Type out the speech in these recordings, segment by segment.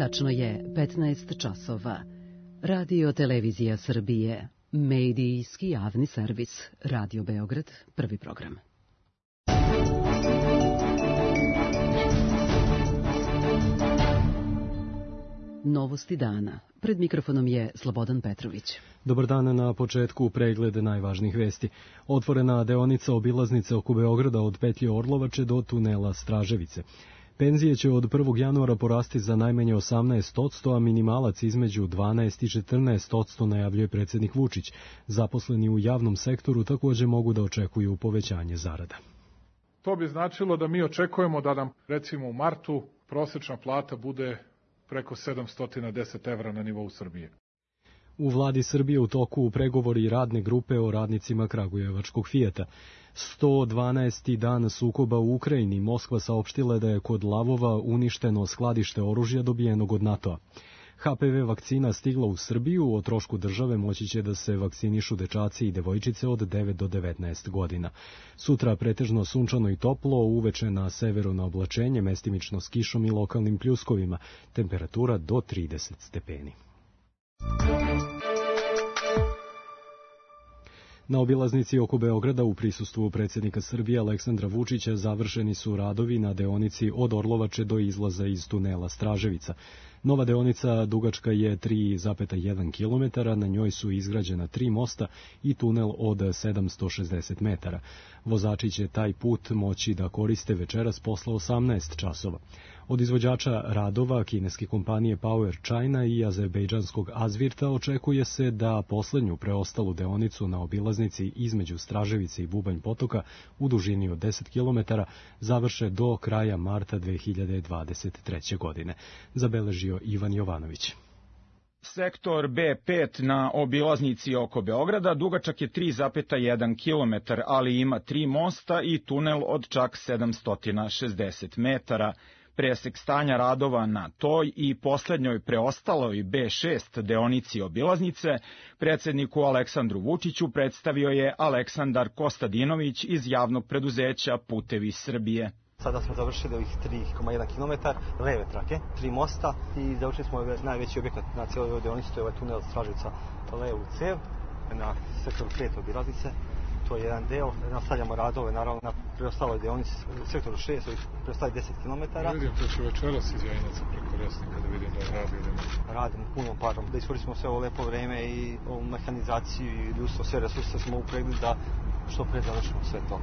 Tačno je 15 časova. Radio Televizija Srbije, medijski javni servis, Radio Beograd, prvi program. Novosti dana. Pred mikrofonom je Slobodan Petrović. Dobar dan, na početku pregled najvažnijih vesti. Otvorena deonica obilaznice oko Beograda od petlje Orlovače do tunela Straževice. Penzije će od 1. januara porasti za najmanje 18%, a minimalac između 12 i 14%, najavljuje predsjednik Vučić. Zaposleni u javnom sektoru također mogu da očekuju povećanje zarada. To bi značilo da mi očekujemo da nam, recimo u martu, prosječna plata bude preko 710 evra na nivou Srbije. U vladi Srbije u toku pregovori radne grupe o radnicima kragujevačkog Fijata. 112. dan sukoba u Ukrajini, Moskva saopštila da je kod Lavova uništeno skladište oružja dobijenog od NATO-a. HPV vakcina stigla u Srbiju, o trošku države moći će da se vakcinišu dečaci i devojčice od 9 do 19 godina. Sutra pretežno sunčano i toplo, uveče na severu na oblačenje, mestimično s kišom i lokalnim pljuskovima, temperatura do 30 stepeni. Na obilaznici oko Beograda u prisustvu predsjednika Srbije Aleksandra Vučića završeni su radovi na deonici od Orlovače do izlaza iz tunela Straževica. Nova deonica dugačka je 3,1 km, na njoj su izgrađena 3 mosta i tunel od 760 metara. Vozači će taj put moći da koriste večeras posle 18 časova. Od izvođača radova kineske kompanije Power China i azerbejdžanskog Azvirta očekuje se da poslednju preostalu deonicu na obilaznici između Straževice i Bubanj Potoka u dužini od 10 km završe do kraja marta 2023. godine, zabeležio Ivan Jovanović. Sektor B5 na obilaznici oko Beograda dugačak je 3,1 km, ali ima 3 mosta i tunel od čak 760 metara. Presek stanja radova na toj i poslednjoj preostaloj B6 deonici obilaznice predsjedniku Aleksandru Vučiću predstavio je Aleksandar Kostadinović iz javnog preduzeća Putevi Srbije. Sada smo završili ovih 3,1 km, leve trake, 3 mosta i završili smo najveći objekat na cijeloj ovoj deonici, to je ovaj tunel Straževica levu cev na sektoru 5 obilaznice. To je jedan deo, nastavljamo radove naravno na preostaloj deonici sektoru 6, preostali 10 km. Vidim, to će večeras iz Jajinaca preko Resnika da vidim da radimo. Radimo punom parom, da iskoristimo sve ovo lepo vreme i ovu mehanizaciju i ljudstvo, sve resurse smo upregli da što pre završimo sve to.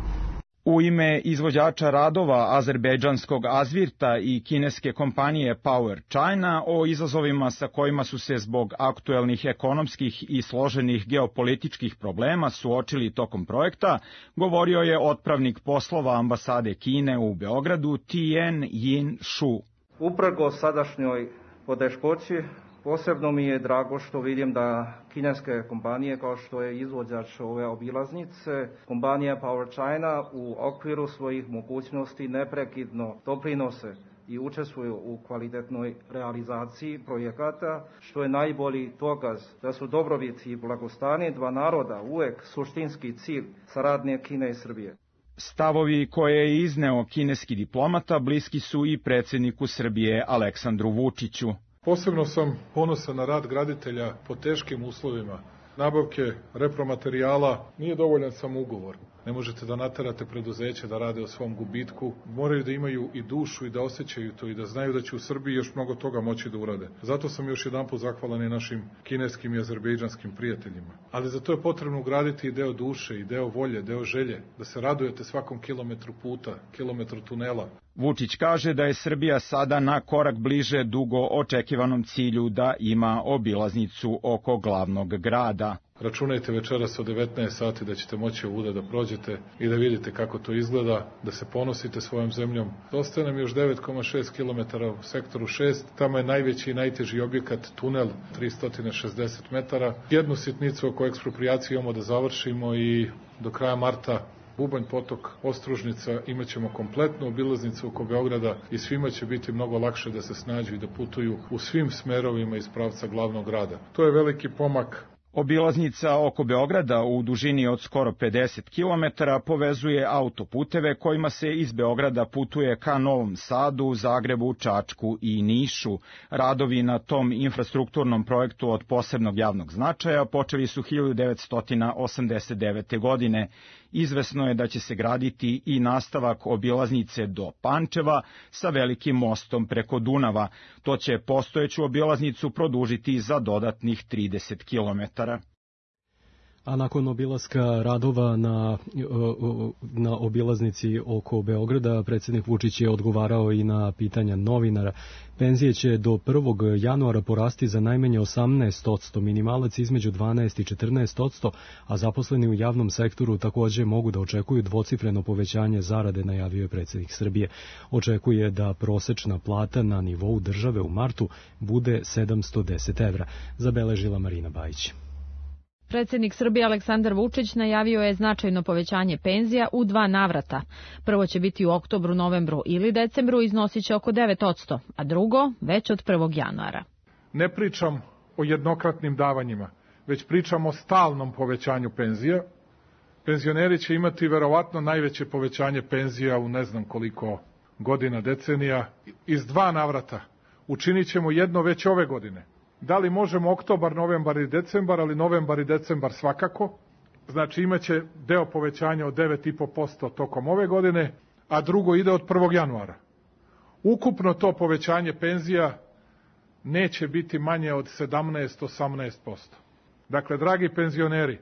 U ime izvođača radova azerbejdžanskog Azvirta i kineske kompanije Power China o izazovima sa kojima su se zbog aktuelnih ekonomskih i složenih geopolitičkih problema suočili tokom projekta, govorio je otpravnik poslova ambasade Kine u Beogradu Tien Yin Shu. Uprkos sadašnjoj poteškoći, posebno mi je drago što vidim da kineske kompanije kao što je izvođač ove obilaznice, kompanija Power China u okviru svojih mogućnosti neprekidno doprinose i učestvuju u kvalitetnoj realizaciji projekata, što je najbolji dokaz da su dobrobit i blagostanje dva naroda uvek suštinski cilj saradnje Kine i Srbije. Stavovi koje je izneo kineski diplomata bliski su i predsjedniku Srbije Aleksandru Vučiću. Posebno sam ponosan na rad graditelja po teškim uslovima. Nabavke repromaterijala nije dovoljan samo ugovor. Ne možete da naterate preduzeće da rade o svom gubitku. Moraju da imaju i dušu i da osjećaju to i da znaju da će u Srbiji još mnogo toga moći da urade. Zato sam još jedanput zahvalan i našim kineskim i azerbejdžanskim prijateljima. Ali za to je potrebno ugraditi i deo duše, i deo volje, deo želje, da se radujete svakom kilometru puta, kilometru tunela. Vučić kaže da je Srbija sada na korak bliže dugo očekivanom cilju da ima obilaznicu oko glavnog grada. Računajte večeras od 19 sati da ćete moći ovuda da prođete i da vidite kako to izgleda, da se ponosite svojom zemljom. Ostaje nam još 9,6 km u sektoru 6, tamo je najveći i najteži objekat tunel 360 metara. Jednu sitnicu oko eksproprijacije imamo da završimo i do kraja marta Bubanj Potok, Ostružnica, imat ćemo kompletnu obilaznicu oko Beograda i svima će biti mnogo lakše da se snađu i da putuju u svim smerovima iz pravca glavnog grada. To je veliki pomak. Obilaznica oko Beograda u dužini od skoro 50 km povezuje autoputeve kojima se iz Beograda putuje ka Novom Sadu, Zagrebu, Čačku i Nišu. Radovi na tom infrastrukturnom projektu od posebnog javnog značaja počeli su 1989. godine. Izvesno je da će se graditi i nastavak obilaznice do Pančeva sa velikim mostom preko Dunava. To će postojeću obilaznicu produžiti za dodatnih 30 kilometara. A nakon obilaska radova na obilaznici oko Beograda, predsjednik Vučić je odgovarao i na pitanja novinara. Penzije će do 1. januara porasti za najmanje 18%, minimalac između 12 i 14%, a zaposleni u javnom sektoru također mogu da očekuju dvocifreno povećanje zarade, najavio je predsjednik Srbije. Očekuje da prosečna plata na nivou države u martu bude 710 evra, zabeležila Marina Bajić. Predsjednik Srbije Aleksandar Vučić najavio je značajno povećanje penzija u 2 navrata. Prvo će biti u oktobru, novembru ili decembru, iznosit će oko 9%, a drugo već od 1. januara. Ne pričam o jednokratnim davanjima, već pričam o stalnom povećanju penzija. Penzioneri će imati verovatno najveće povećanje penzija u ne znam koliko godina, decenija. Iz 2 navrata učinit ćemo jedno već ove godine. Da li možemo oktobar, novembar i decembar, ali novembar i decembar svakako. Znači imaće deo povećanja od 9,5% tokom ove godine, a drugo ide od 1. januara. Ukupno to povećanje penzija neće biti manje od 17-18%. Dakle, dragi penzioneri,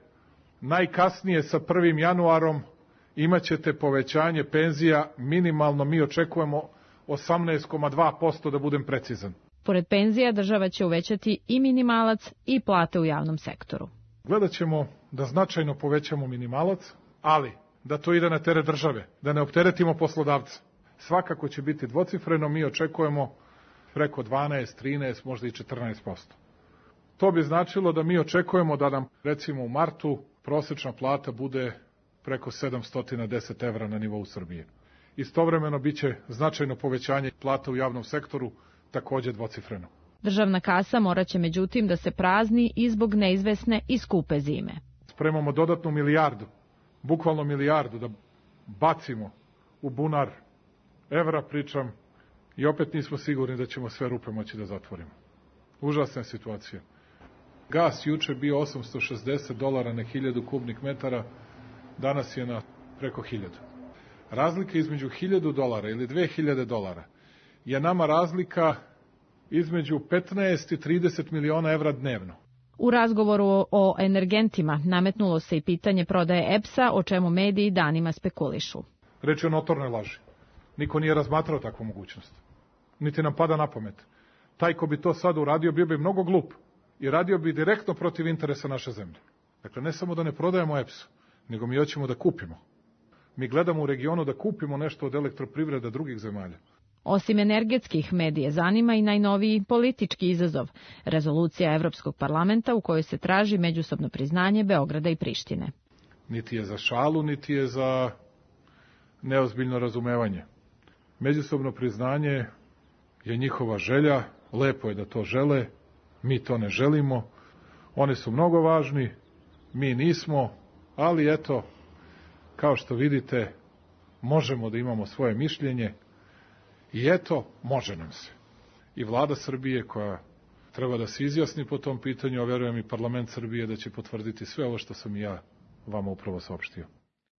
najkasnije sa 1. januarom imaćete povećanje penzija minimalno, mi očekujemo 18,2% da budem precizan. Pored penzija, država će uvećati i minimalac i plate u javnom sektoru. Gledat ćemo da značajno povećamo minimalac, ali da to ide na teret države, da ne opteretimo poslodavca. Svakako će biti dvocifreno, mi očekujemo preko 12, 13, možda i 14%. To bi značilo da mi očekujemo da nam, recimo u martu, prosečna plata bude preko 710 evra na nivou Srbije. Istovremeno biće značajno povećanje plata u javnom sektoru, također dvocifreno. Državna kasa morat će međutim da se prazni i zbog neizvesne i skupe zime. Spremamo dodatnu milijardu, bukvalno milijardu da bacimo u bunar evra, pričam, i opet nismo sigurni da ćemo sve rupe moći da zatvorimo. Užasna je situacija. Gas juče bio $860 na 1000 kubnih metara, danas je na preko 1000. Razlika između $1000 ili $2000 je nama razlika između 15 i 30 miliona evra dnevno. U razgovoru o energentima nametnulo se i pitanje prodaje EPS-a, o čemu mediji danima spekulišu. Reč je o notornoj laži. Niko nije razmatrao takvu mogućnost. Niti nam pada na pamet. Taj ko bi to sad uradio bio bi mnogo glup i radio bi direktno protiv interesa naše zemlje. Dakle, ne samo da ne prodajemo EPS-u, nego mi hoćemo da kupimo. Mi gledamo u regionu da kupimo nešto od elektroprivrede drugih zemalja. Osim energetskih, medije zanima i najnoviji politički izazov, rezolucija Evropskog parlamenta u kojoj se traži međusobno priznanje Beograda i Prištine. Niti je za šalu, niti je za neozbiljno razumevanje. Međusobno priznanje je njihova želja, lepo je da to žele, mi to ne želimo, oni su mnogo važni, mi nismo, ali eto, kao što vidite, možemo da imamo svoje mišljenje, i eto, može nam se. I vlada Srbije koja treba da se izjasni po tom pitanju, a verujem i parlament Srbije da će potvrditi sve ovo što sam i ja vama upravo saopštio.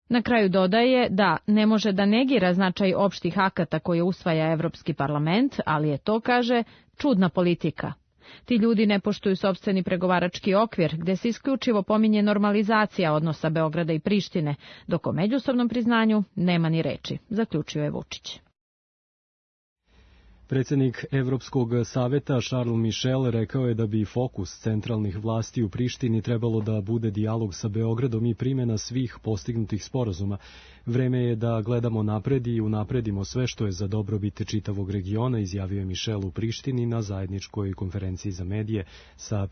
Na kraju dodaje da ne može da negira značaj opštih akata koje usvaja Evropski parlament, ali je to, kaže, čudna politika. Ti ljudi ne poštuju sopstveni pregovarački okvir, gde se isključivo pominje normalizacija odnosa Beograda i Prištine, dok o međusobnom priznanju nema ni reči, zaključio je Vučić. Predsjednik Evropskog saveta Charles Michel rekao je da bi fokus centralnih vlasti u Prištini trebalo da bude dijalog sa Beogradom i primjena svih postignutih sporazuma. Vreme je da gledamo napred i unapredimo sve što je za dobrobit čitavog regiona, izjavio je Michel u Prištini na zajedničkoj konferenciji za medije sa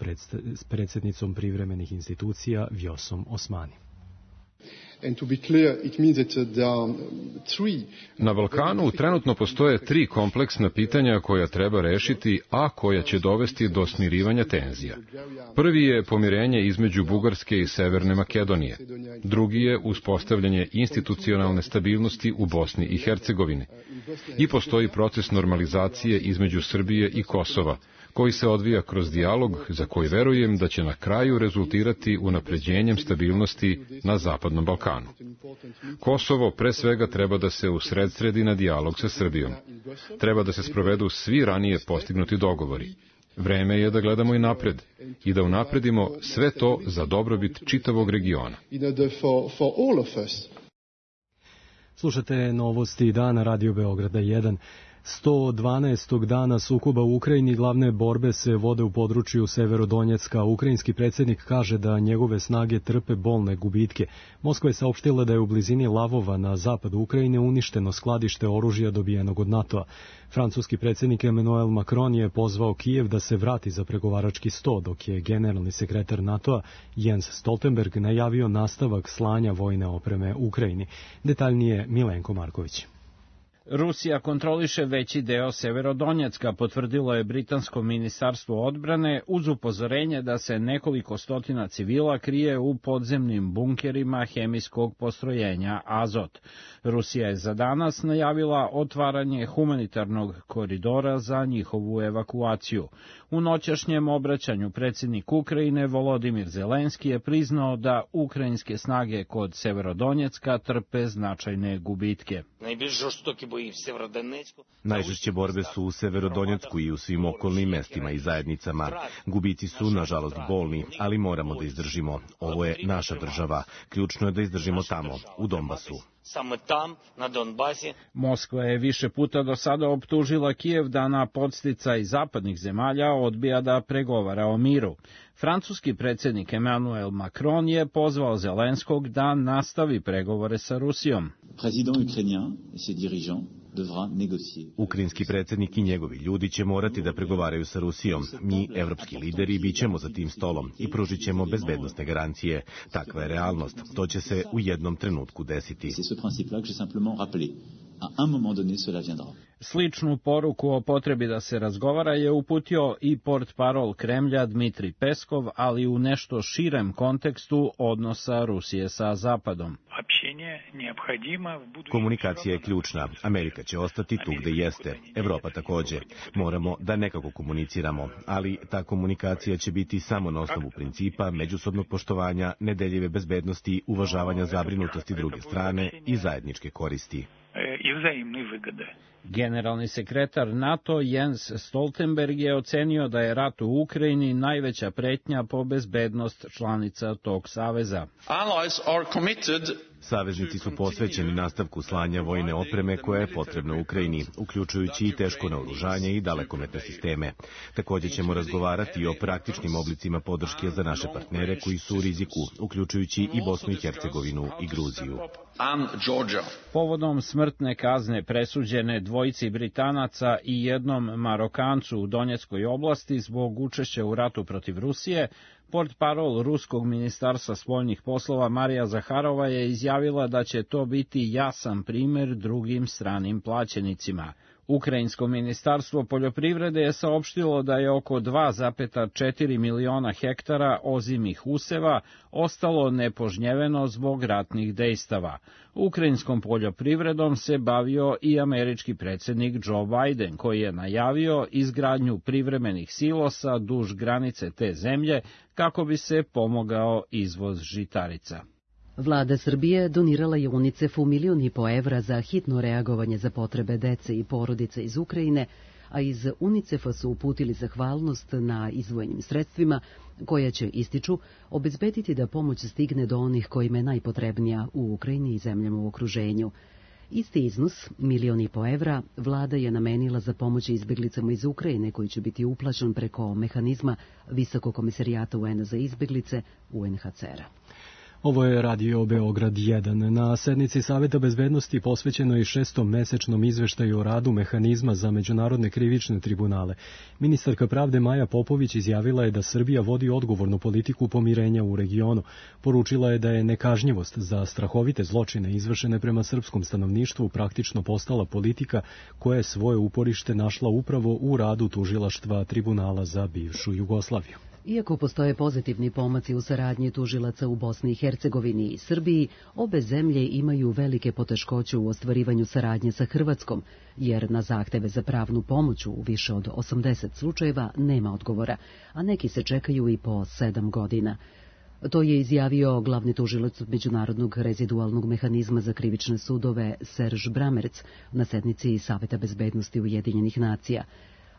predsjednicom privremenih institucija Vjosom Osmani. Na Balkanu trenutno postoje 3 kompleksna pitanja koja treba rešiti, a koja će dovesti do smirivanja tenzija. Prvi je pomirenje između Bugarske i Severne Makedonije. Drugi je uspostavljanje institucionalne stabilnosti u Bosni i Hercegovini. I postoji proces normalizacije između Srbije i Kosova, koji se odvija kroz dijalog za koji verujem da će na kraju rezultirati unapređenjem stabilnosti na Zapadnom Balkanu. Kosovo pre svega treba da se usredsredi na dijalog sa Srbijom. Treba da se sprovedu svi ranije postignuti dogovori. Vreme je da gledamo i napred i da unapredimo sve to za dobrobit čitavog regiona. Slušate novosti dana Radio Beograda 1. 112. dana sukoba u Ukrajini glavne borbe se vode u području Severodonjecka. Ukrajinski predsjednik kaže da njegove snage trpe bolne gubitke. Moskva je saopštila da je u blizini Lavova na zapadu Ukrajine uništeno skladište oružja dobijenog od NATO-a. Francuski predsjednik Emmanuel Macron je pozvao Kijev da se vrati za pregovarački sto, dok je generalni sekretar NATO-a Jens Stoltenberg najavio nastavak slanja vojne opreme Ukrajini. Detaljnije Milenko Marković. Rusija kontroliše veći deo Severodonjecka, potvrdilo je britansko ministarstvo odbrane uz upozorenje da se nekoliko stotina civila krije u podzemnim bunkerima hemijskog postrojenja Azot. Rusija je za danas najavila otvaranje humanitarnog koridora za njihovu evakuaciju. U noćašnjem obraćanju predsjednik Ukrajine Volodimir Zelenski je priznao da ukrajinske snage kod Severodonjecka trpe značajne gubitke. Najžešće borbe su u Severodonjecku i u svim okolnim mestima i zajednicama. Gubici su, nažalost, bolni, ali moramo da izdržimo. Ovo je naša država. Ključno je da izdržimo tamo, u Donbasu. Moskva je više puta do sada optužila Kijev da na podsticaj zapadnih zemalja odbija da pregovara o miru. Francuski predsjednik Emmanuel Macron je pozvao Zelenskog da nastavi pregovore sa Rusijom. Ukrajinski predsjednik i njegovi ljudi će morati da pregovaraju sa Rusijom. Mi, evropski lideri, bit ćemo za tim stolom i pružit ćemo bezbednosne garancije. Takva je realnost. To će se u jednom trenutku desiti. Sličnu poruku o potrebi da se razgovara je uputio i portparol Kremlja Dmitri Peskov, ali u nešto širem kontekstu odnosa Rusije sa Zapadom. Komunikacija je ključna. Amerika će ostati tu gde jeste. Evropa takođe. Moramo da nekako komuniciramo, ali ta komunikacija će biti samo na osnovu principa međusobnog poštovanja, nedeljive bezbednosti, uvažavanja zabrinutosti druge strane i zajedničke koristi. Generalni sekretar NATO Jens Stoltenberg je ocenio da je rat u Ukrajini najveća pretnja po bezbednost članica tog saveza. Saveznici su posvećeni nastavku slanja vojne opreme koja je potrebna Ukrajini, uključujući i teško naoružanje i dalekometne sisteme. Takođe ćemo razgovarati i o praktičnim oblicima podrške za naše partnere koji su u riziku, uključujući i Bosnu i Hercegovinu i Gruziju. Povodom smrtne kazne presuđene dvojici Britanaca i jednom Marokancu u Donjeckoj oblasti zbog učešća u ratu protiv Rusije, portparol Ruskog ministarstva spoljnih poslova Marija Zaharova je izjavila da će to biti jasan primer drugim stranim plaćenicima. Ukrajinsko ministarstvo poljoprivrede je saopštilo da je oko 2,4 miliona hektara ozimih useva ostalo nepožnjeveno zbog ratnih dejstava. Ukrajinskom poljoprivredom se bavio i američki predsjednik Joe Biden, koji je najavio izgradnju privremenih silosa duž granice te zemlje kako bi se pomogao izvoz žitarica. Vlada Srbije donirala je UNICEF-u $1,5 miliona za hitno reagovanje za potrebe dece i porodice iz Ukrajine, a iz UNICEF-a su uputili zahvalnost na izdvojenim sredstvima, koja će, ističu, obezbediti da pomoć stigne do onih kojima je najpotrebnija u Ukrajini i zemljama u okruženju. Isti iznos, $1,5 miliona, vlada je namenila za pomoć izbeglicama iz Ukrajine, koji će biti uplaćen preko mehanizma Visokog komisarijata UN za izbeglice UNHCR-a. Ovo je Radio Beograd 1. Na sednici Saveta bezbednosti posvećeno je 6. mesečnom izveštaju o radu mehanizma za međunarodne krivične tribunale. Ministarka pravde Maja Popović izjavila je da Srbija vodi odgovornu politiku pomirenja u regionu. Poručila je da je nekažnjivost za strahovite zločine izvršene prema srpskom stanovništvu praktično postala politika koja je svoje uporište našla upravo u radu tužilaštva Tribunala za bivšu Jugoslaviju. Iako postoje pozitivni pomaci u saradnji tužilaca u Bosni i Hercegovini i Srbiji, obe zemlje imaju velike poteškoće u ostvarivanju saradnje sa Hrvatskom, jer na zahteve za pravnu pomoć u više od 80 slučajeva nema odgovora, a neki se čekaju i po 7 godina. To je izjavio glavni tužilac Međunarodnog rezidualnog mehanizma za krivične sudove Serž Bramerc na sednici Saveta bezbednosti Ujedinjenih nacija.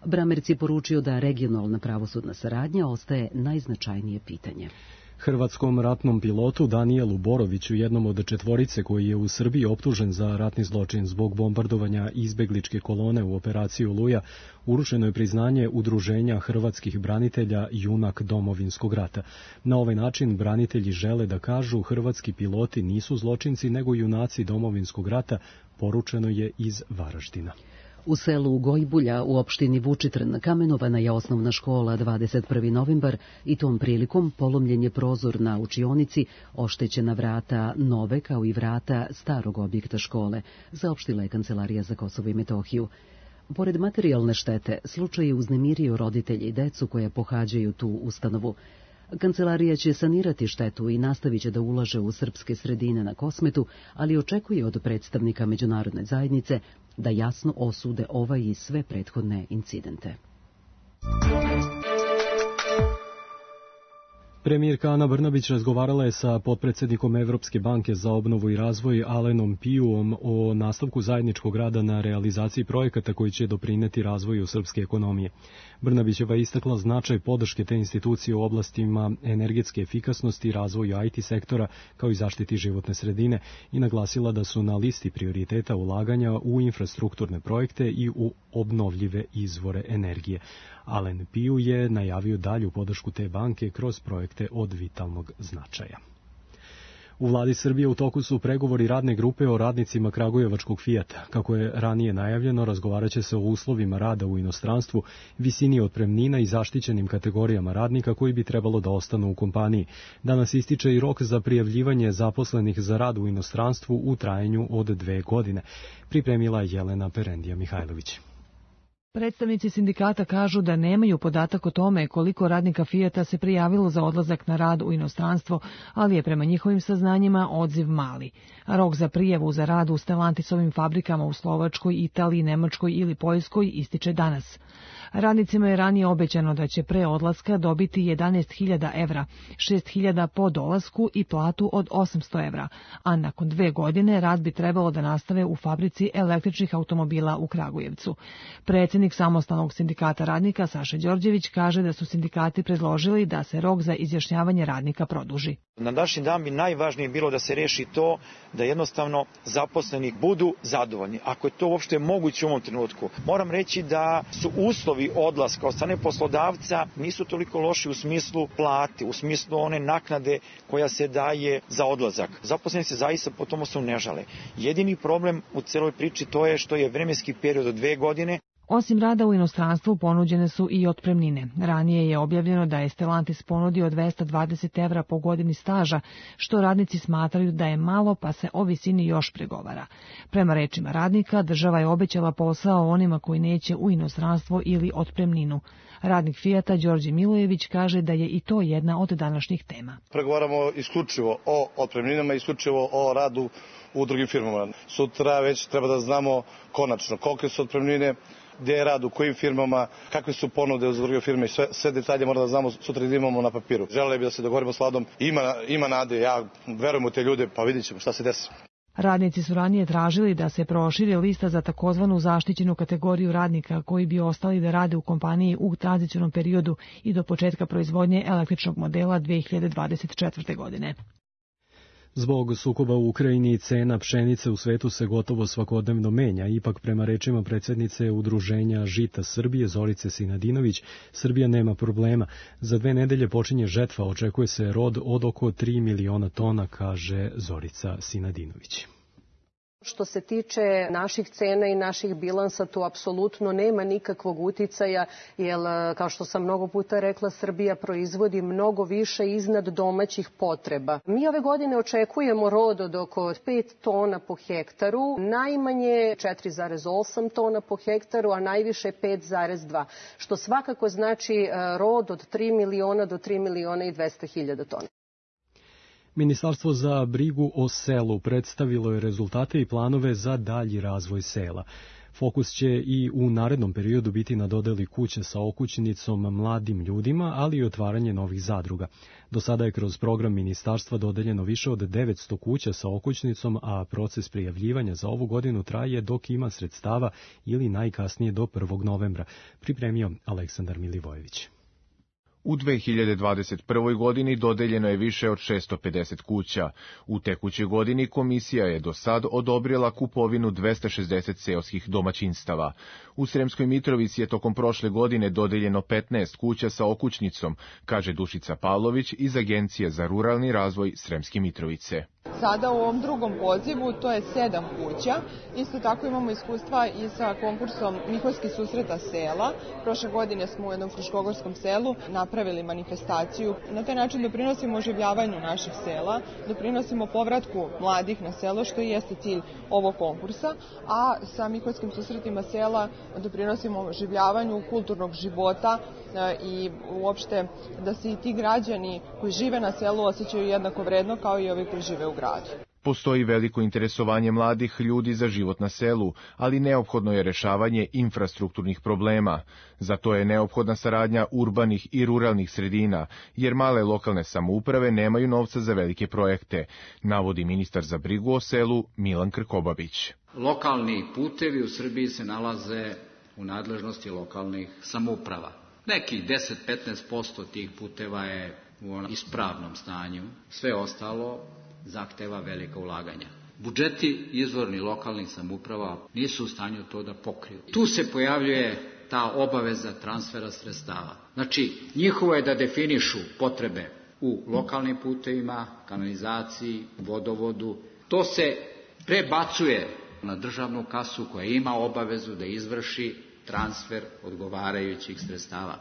Bramerc je poručio da regionalna pravosudna saradnja ostaje najznačajnije pitanje. Hrvatskom ratnom pilotu Danijelu Boroviću, jednom od 4 koji je u Srbiji optužen za ratni zločin zbog bombardovanja izbegličke kolone u operaciji Oluja, uručeno je priznanje Udruženja hrvatskih branitelja Junak Domovinskog rata. Na ovaj način branitelji žele da kažu hrvatski piloti nisu zločinci nego junaci Domovinskog rata, poručeno je iz Varaždina. U selu Gojbulja u opštini Vučitrn kamenovana je osnovna škola 21. novembar i tom prilikom polomljen je prozor na učionici, oštećena vrata nove kao i vrata starog objekta škole, saopštila je Kancelarija za Kosovo i Metohiju. Pored materijalne štete, slučaj je uznemirio roditelje i decu koje pohađaju tu ustanovu. Kancelarija će sanirati štetu i nastavit će da ulaže u srpske sredine na Kosmetu, ali očekuje od predstavnika međunarodne zajednice da jasno osude ovaj i sve prethodne incidente. Premijerka Ana Brnabić razgovarala je sa potpredsjednikom Evropske banke za obnovu i razvoj Alenom Pijuom o nastavku zajedničkog rada na realizaciji projekata koji će doprineti razvoju srpske ekonomije. Brnabićeva istakla značaj podrške te institucije u oblastima energetske efikasnosti, razvoju IT sektora kao i zaštiti životne sredine i naglasila da su na listi prioriteta ulaganja u infrastrukturne projekte i u obnovljive izvore energije. Alen Piju je najavio dalju podršku te banke kroz projekte od vitalnog značaja. U vladi Srbije u toku su pregovori radne grupe o radnicima kragujevačkog Fijata. Kako je ranije najavljeno, razgovaraće se o uslovima rada u inostranstvu, visini otpremnina i zaštićenim kategorijama radnika koji bi trebalo da ostanu u kompaniji. Danas ističe i rok za prijavljivanje zaposlenih za rad u inostranstvu u trajanju od 2 godine. Pripremila je Jelena Perendija Mihajlović. Predstavnici sindikata kažu da nemaju podatak o tome koliko radnika Fijata se prijavilo za odlazak na rad u inostranstvo, ali je prema njihovim saznanjima odziv mali. Rok za prijavu za rad u Stellantisovim fabrikama u Slovačkoj, Italiji, Nemačkoj ili Poljskoj ističe danas. Radnicima je ranije obećano da će pre odlaska dobiti 11.000 evra, 6.000 po dolasku i platu od 800 evra, a nakon 2 godine rad bi trebalo da nastave u fabrici električnih automobila u Kragujevcu. Predsjednik samostalnog sindikata radnika Saša Đorđević kaže da su sindikati predložili da se rok za izjašnjavanje radnika produži. Na današnji dan bi najvažnije bilo da se reši to da jednostavno zaposleni budu zadovoljni. Ako je to uopšte moguće u ovom trenutku. Moram reći da su uslovi odlaska od strane poslodavca nisu toliko loši u smislu plate, u smislu one naknade koja se daje za odlazak. Zaposleni se zaista po tomu su ne žale. Jedini problem u celoj priči to je što je vremenski period od 2 godine. Osim rada u inostranstvu ponuđene su i otpremnine. Ranije je objavljeno da je Stellantis ponudio 220 evra po godini staža, što radnici smatraju da je malo, pa se o visini još pregovara. Prema rečima radnika, država je obećala posao onima koji neće u inostranstvo ili otpremninu. Radnik Fijata Đorđe Milojević kaže da je i to jedna od današnjih tema. Pregovaramo isključivo o otpremninama, isključivo o radu u drugim firmama. Sutra već treba da znamo konačno kolike su otpremnine, gdje je rad, u kojim firmama, kakve su ponude uz druge firme i sve detalje moramo da znamo sutra da imamo na papiru. Želeli bi da se dogovorimo s vladom, ima nade, ja verujem u te ljude, pa vidjet ćemo šta se desi. Radnici su ranije tražili da se proširi lista za takozvanu zaštićenu kategoriju radnika koji bi ostali da rade u kompaniji u tranzicionom periodu i do početka proizvodnje električnog modela 2024. godine. Zbog sukoba u Ukrajini cena pšenice u svetu se gotovo svakodnevno menja, ipak prema rečima predsjednice Udruženja Žita Srbije Zorice Sinadinović, Srbija nema problema. Za 2 nedelje počinje žetva, očekuje se rod od oko 3 miliona tona, kaže Zorica Sinadinović. Što se tiče naših cena i naših bilansa, tu apsolutno nema nikakvog uticaja, jer, kao što sam mnogo puta rekla, Srbija proizvodi mnogo više iznad domaćih potreba. Mi ove godine očekujemo rod od oko 5 tona po hektaru, najmanje 4,8 tona po hektaru, a najviše 5,2, što svakako znači rod od 3 miliona do 3 miliona i 200 hiljada tona. Ministarstvo za brigu o selu predstavilo je rezultate i planove za dalji razvoj sela. Fokus će i u narednom periodu biti na dodeli kuće sa okućnicom mladim ljudima, ali i otvaranje novih zadruga. Do sada je kroz program ministarstva dodeljeno više od 900 kuća sa okućnicom, a proces prijavljivanja za ovu godinu traje dok ima sredstava ili najkasnije do 1. novembra, pripremio Aleksandar Milivojević. U 2021. godini dodeljeno je više od 650 kuća. U tekućoj godini komisija je do sad odobrila kupovinu 260 seoskih domaćinstava. U Sremskoj Mitrovici je tokom prošle godine dodeljeno 15 kuća sa okućnicom, kaže Dušica Pavlović iz Agencije za ruralni razvoj Sremske Mitrovice. Sada u ovom drugom pozivu to je 7 kuća. Isto tako imamo iskustva i sa konkursom Miholjski susreta sela. Prošle godine smo u jednom fruškogorskom selu napravili manifestaciju. Na taj način doprinosimo oživljavanju naših sela, doprinosimo povratku mladih na selo, što i jeste cilj ovog konkursa, a sa Miholjskim susretima sela doprinosimo oživljavanju kulturnog života i uopšte da se i ti građani koji žive na selu osjećaju jednako vredno kao i ovi koji žive u gradu. Postoji veliko interesovanje mladih ljudi za život na selu, ali neophodno je rešavanje infrastrukturnih problema. Zato je neophodna saradnja urbanih i ruralnih sredina, jer male lokalne samouprave nemaju novca za velike projekte, navodi ministar za brigu o selu Milan Krkobabić. Lokalni putevi u Srbiji se nalaze u nadležnosti lokalnih samouprava. Nekih 10-15% tih puteva je u ispravnom stanju, sve ostalo zahteva velika ulaganja. Budžeti izvorni lokalnih samouprava nisu u stanju to da pokriju. Tu se pojavljuje ta obaveza transfera sredstava. Znači, njihovo je da definišu potrebe u lokalnim putevima, kanalizaciji, vodovodu. To se prebacuje na državnu kasu koja ima obavezu da izvrši transfer odgovarajućih sredstava.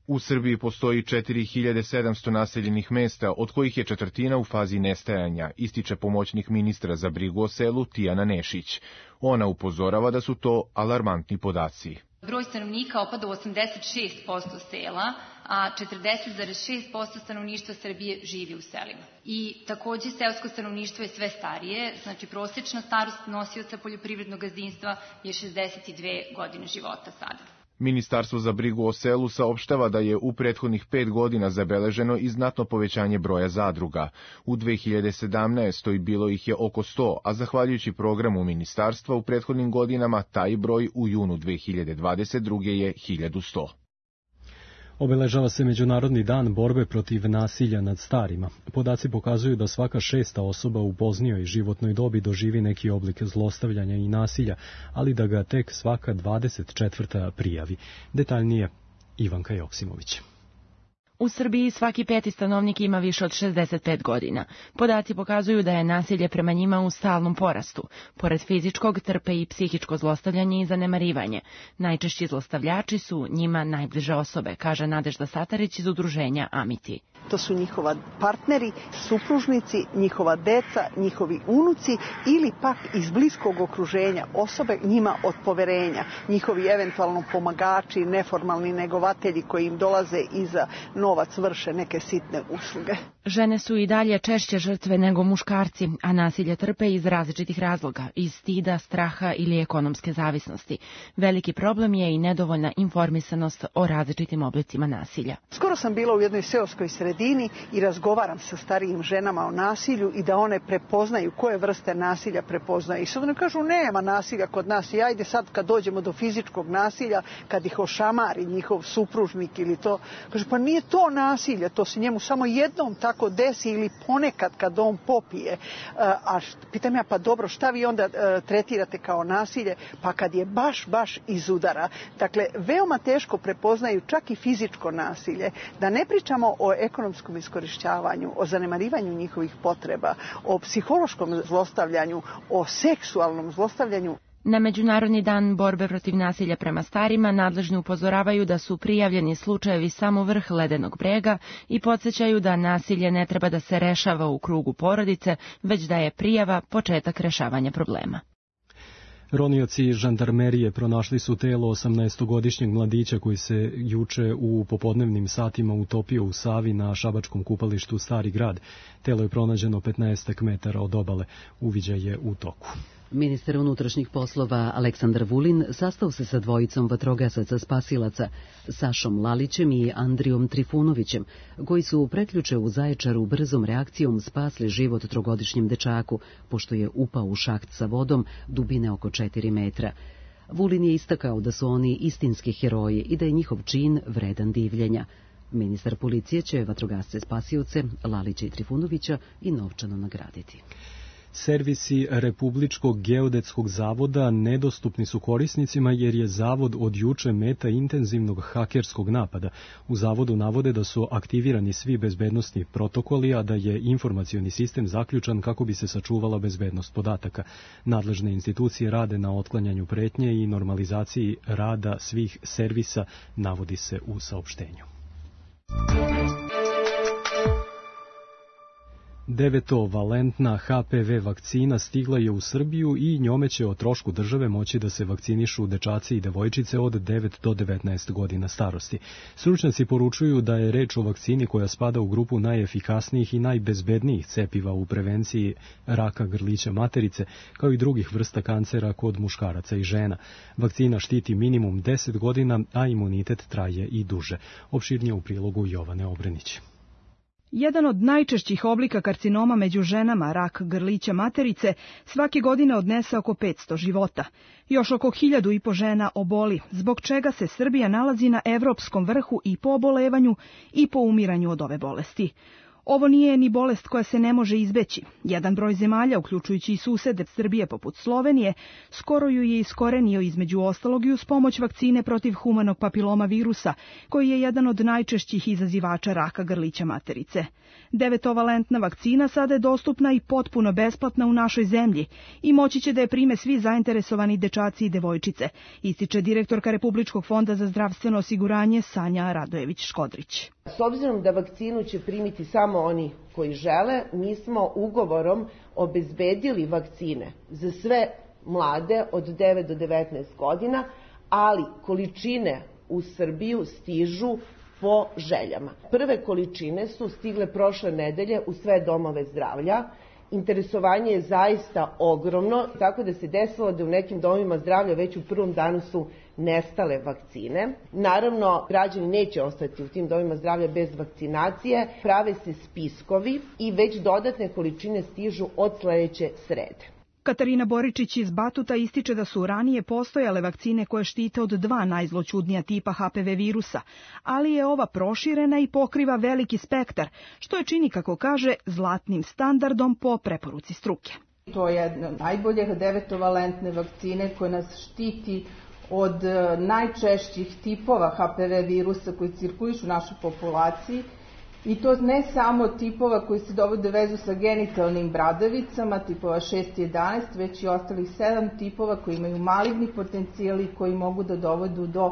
U Srbiji postoji 4700 naseljenih mesta, od kojih je 1/4 u fazi nestajanja, ističe pomoćnik ministra za brigu o selu Tijana Nešić. Ona upozorava da su to alarmantni podaci. Broj stanovnika opada u 86% sela, a 40,6% stanovništva Srbije živi u selima. I takođe seosko stanovništvo je sve starije, znači prosečna starost nosioca poljoprivrednog gazdinstva je 62 godine života sada. Ministarstvo za brigu o selu saopštava da je u prethodnih 5 godina zabeleženo i znatno povećanje broja zadruga. U 2017. bilo ih je oko 100, a zahvaljujući programu ministarstva u prethodnim godinama taj broj u junu 2022. je 1100. Obeležava se Međunarodni dan borbe protiv nasilja nad starima. Podaci pokazuju da svaka 6. osoba u poznijoj životnoj dobi doživi neki oblik zlostavljanja i nasilja, ali da ga tek svaka 24. prijavi. Detaljnije Ivanka Joksimović. U Srbiji svaki 5. stanovnik ima više od 65 godina. Podaci pokazuju da je nasilje prema njima u stalnom porastu. Pored fizičkog trpe i psihičko zlostavljanje i zanemarivanje. Najčešći zlostavljači su njima najbliže osobe, kaže Nadežda Satarić iz udruženja Amiti. To su njihova partneri, supružnici, njihova deca, njihovi unuci ili pak iz bliskog okruženja osobe njima od poverenja, njihovi eventualno pomagači, neformalni negovatelji koji im dolaze i za novac vrše neke sitne usluge. Žene su i dalje češće žrtve nego muškarci, a nasilje trpe iz različitih razloga, iz stida, straha ili ekonomske zavisnosti. Veliki problem je i nedovoljna informisanost o različitim oblicima nasilja. Skoro sam bila u jednoj seoskoj sredini i razgovaram sa starijim ženama o nasilju i da one prepoznaju koje vrste nasilja prepoznaju. I sad one kažu nema nasilja kod nas i ajde sad kad dođemo do fizičkog nasilja, kad ih ošamari njihov supružnik ili to, kaže pa nije to nasilje, to se njemu samo jednom tako desi ili ponekad kad on popije. A pitam ja, pa dobro, šta vi onda tretirate kao nasilje? Pa kad je baš iz udara. Dakle, veoma teško prepoznaju čak i fizičko nasilje. Da ne pričamo o ekonomskom iskorišćavanju, o zanemarivanju njihovih potreba, o psihološkom zlostavljanju, o seksualnom zlostavljanju. Na Međunarodni dan borbe protiv nasilja prema starima nadležni upozoravaju da su prijavljeni slučajevi samo vrh ledenog brega i podsjećaju da nasilje ne treba da se rešava u krugu porodice, već da je prijava početak rešavanja problema. Ronioci žandarmerije pronašli su telo 18-godišnjeg mladića koji se juče u popodnevnim satima utopio u Savi na šabačkom kupalištu Stari grad. Telo je pronađeno 15 metara od obale. Uviđaj je u toku. Ministar unutrašnjih poslova Aleksandar Vulin sastao se sa dvojicom vatrogasaca spasilaca, Sašom Lalićem i Andrijom Trifunovićem, koji su prekjuče u Zaječaru brzom reakcijom spasli život 3-godišnjem dečaku, pošto je upao u šaht sa vodom dubine oko 4 metra. Vulin je istakao da su oni istinski heroji i da je njihov čin vredan divljenja. Ministar policije će vatrogasce spasioce, Lalića i Trifunovića, i novčano nagraditi. Servisi Republičkog geodetskog zavoda nedostupni su korisnicima jer je zavod od juče meta intenzivnog hakerskog napada. U zavodu navode da su aktivirani svi bezbednosni protokoli, a da je informacioni sistem zaključan kako bi se sačuvala bezbednost podataka. Nadležne institucije rade na otklanjanju pretnje i normalizaciji rada svih servisa, navodi se u saopštenju. 9-valentna HPV vakcina stigla je u Srbiju i njome će o trošku države moći da se vakcinišu dečaci i devojčice od 9 do 19 godina starosti. Stručnjaci poručuju da je reč o vakcini koja spada u grupu najefikasnijih i najbezbednijih cepiva u prevenciji raka grlića materice, kao i drugih vrsta kancera kod muškaraca i žena. Vakcina štiti minimum 10 godina, a imunitet traje i duže. Opširnije u prilogu Jovane Obrenić. Jedan od najčešćih oblika karcinoma među ženama, rak grlića materice, svake godine odnese oko 500 života. Još oko 1500 žena oboli, zbog čega se Srbija nalazi na evropskom vrhu i po obolevanju i po umiranju od ove bolesti. Ovo nije ni bolest koja se ne može izbeći. Jedan broj zemalja, uključujući i susede Srbije poput Slovenije, skoro ju je iskorenio između ostalog i uz pomoć vakcine protiv humanog papiloma virusa, koji je jedan od najčešćih izazivača raka grlića materice. 9-valentna vakcina sada je dostupna i potpuno besplatna u našoj zemlji i moći će da je prime svi zainteresovani dečaci i devojčice, ističe direktorka Republičkog fonda za zdravstveno osiguranje Sanja Radojević-Škodrić. S obzirom da vakcinu će primiti samo oni koji žele, mi smo ugovorom obezbedili vakcine za sve mlade od 9 do 19 godina, ali količine u Srbiju stižu po željama. Prve količine su stigle prošle nedelje u sve domove zdravlja. Interesovanje je zaista ogromno, tako da se desilo da u nekim domovima zdravlja već u prvom danu su nestale vakcine. Naravno, građani neće ostati u tim domovima zdravlja bez vakcinacije, prave se spiskovi i već dodatne količine stižu od sledeće srede. Katarina Boričić iz Batuta ističe da su ranije postojale vakcine koje štite od 2 najzloćudnija tipa HPV virusa, ali je ova proširena i pokriva veliki spektar, što je čini, kako kaže, zlatnim standardom po preporuci struke. To je jedna od najboljih 9-valentne vakcine koja nas štiti od najčešćih tipova HPV virusa koji cirkulišu u našoj populaciji. I to ne samo tipova koji se dovode vezu sa genitalnim bradavicama, tipova 6 i 11, već i ostalih 7 tipova koji imaju maligni potencijali koji mogu da dovodu do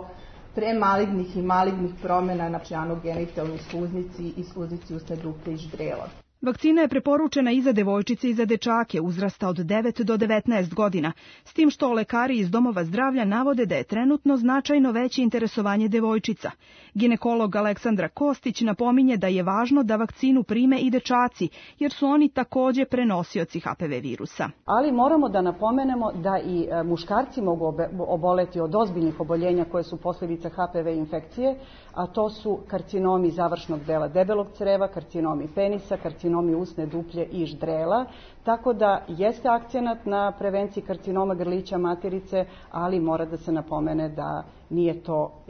premalignih i malignih promjena na anogenitalnoj sluznici i sluznici usne dupe i ždrela. Vakcina je preporučena i za devojčice i za dečake uzrasta od 9 do 19 godina, s tim što lekari iz domova zdravlja navode da je trenutno značajno veće interesovanje devojčica. Ginekolog Aleksandra Kostić napominje da je važno da vakcinu prime i dečaci, jer su oni takođe prenosioci HPV virusa. Ali moramo da napomenemo da i muškarci mogu oboleti od ozbiljnih oboljenja koje su posljedica HPV infekcije, a to su karcinomi završnog dela debelog creva, karcinomi penisa, karcinomi usne duplje i ždrela, tako da jeste akcenat na prevenciji karcinoma grlića materice, ali mora da se napomene da nije to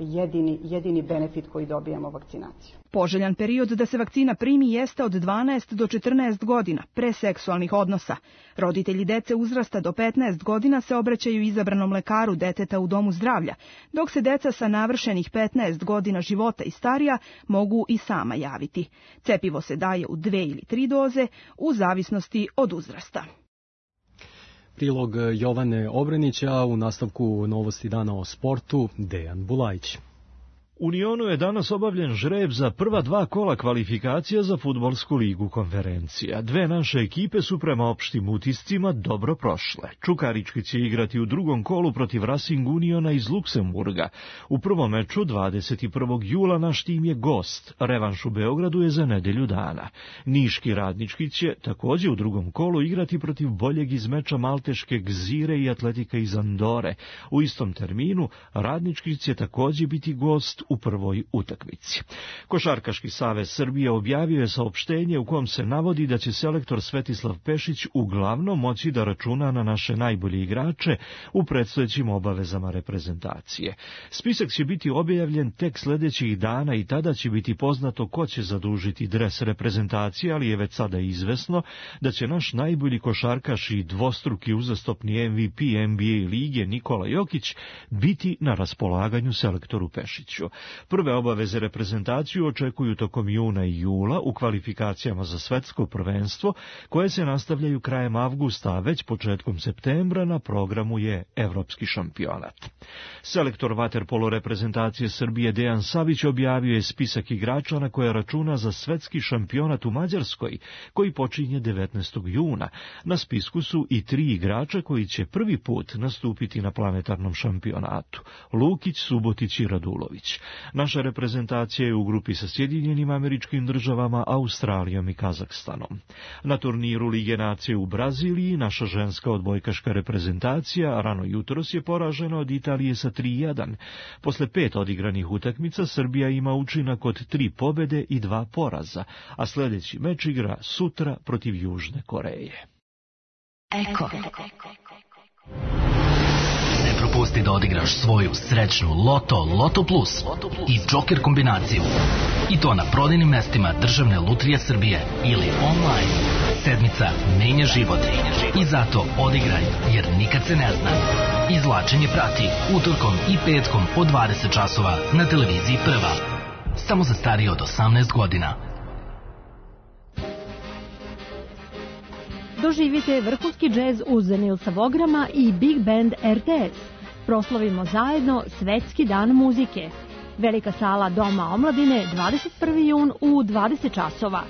jedini benefit koji dobijamo vakcinaciju. Poželjan period da se vakcina primi jeste od 12 do 14 godina, pre seksualnih odnosa. Roditelji dece uzrasta do 15 godina se obraćaju izabranom lekaru deteta u domu zdravlja, dok se deca sa navršenih 15 godina života i starija mogu i sama javiti. Cepivo se daje u 2 ili 3 doze, u zavisnosti od uzrasta. Prilog Jovane Obrenića, u nastavku novosti dana o sportu, Dejan Bulajić. U Lionu je danas obavljen žreb za prva 2 kola kvalifikacija za fudbalsku ligu konferencija. 2 naše ekipe su prema opštim utiscima dobro prošle. Čukarički će igrati u drugom kolu protiv Racing Uniona iz Luksemburga. U prvom meču 21. jula naš tim je gost. Revanš u Beogradu je za nedelju dana. Niški Radnički će također u drugom kolu igrati protiv boljeg iz meča malteške Gzire i Atletika iz Andore. U istom terminu Radnički će također biti gost u prvoj utakmici. Košarkaški savez Srbije objavio je saopštenje u kom se navodi da će selektor Svetislav Pešić uglavnom moći da računa na naše najbolje igrače u predstojećim obavezama reprezentacije. Spisak će biti objavljen tek sljedećih dana i tada će biti poznato ko će zadužiti dres reprezentacije, ali je već sada izvesno da će naš najbolji košarkaš i dvostruki uzastopni MVP NBA lige Nikola Jokić biti na raspolaganju selektoru Pešiću. Prve obaveze reprezentaciju očekuju tokom juna i jula u kvalifikacijama za svetsko prvenstvo, koje se nastavljaju krajem avgusta, a već početkom septembra na programu je evropski šampionat. Selektor vaterpolo reprezentacije Srbije Dejan Savić objavio je spisak igrača na koje računa za svetski šampionat u Mađarskoj, koji počinje 19. juna. Na spisku su i 3 igrača koji će prvi put nastupiti na planetarnom šampionatu: Lukić, Subotić i Radulović. Naša reprezentacija je u grupi sa Sjedinjenim Američkim Državama, Australijom i Kazahstanom. Na turniru Lige nacije u Braziliji naša ženska odbojkaška reprezentacija rano jutros je poražena od Italije sa 3:1. Posle 5 odigranih utakmica Srbija ima učinak od 3 pobede i 2 poraza, a sljedeći meč igra sutra protiv Južne Koreje. Eko. Ne propusti da odigraš svoju srećnu Loto Plus i Joker kombinaciju. I to na prodajnim mestima Državne lutrije Srbije ili online. Sedmica menja život. I zato odigraj, jer nikad se ne zna. Izvlačenje prati utorkom i petkom od 20 časova na televiziji Prva. Samo za starije od 18 godina. Doživite vrhunski džez uz Nilsa Vograma i Big Band RTS. Proslavimo zajedno Svetski dan muzike. Velika sala Doma omladine, 21. jun u 20 časova.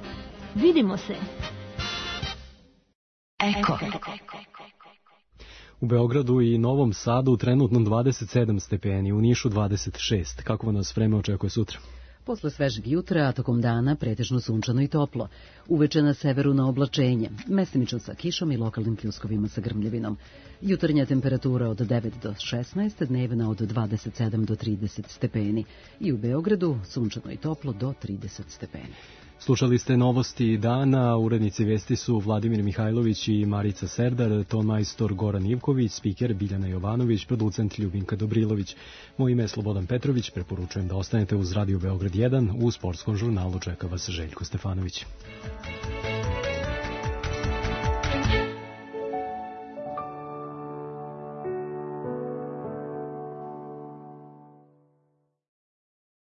Vidimo se. Eko. U Beogradu i Novom Sadu trenutno 27 stepeni, u Nišu 26. Kako nas vreme očekuje sutra? Posle svežeg jutra, a tokom dana pretežno sunčano i toplo. Uveče na severu na oblačenje, mestimično sa kišom i lokalnim pljuskovima sa grmljevinom. Jutarnja temperatura od 9 do 16, dnevna od 27 do 30 stepeni. I u Beogradu sunčano i toplo do 30 stepeni. Slušali ste novosti dana, urednici vesti su Vladimir Mihajlović i Marica Serdar, tonmajstor Goran Ivković, spiker Biljana Jovanović, producent Ljubinka Dobrilović. Moje ime je Slobodan Petrović, preporučujem da ostanete uz Radio Beograd 1, u sportskom žurnalu čeka vas Željko Stefanović.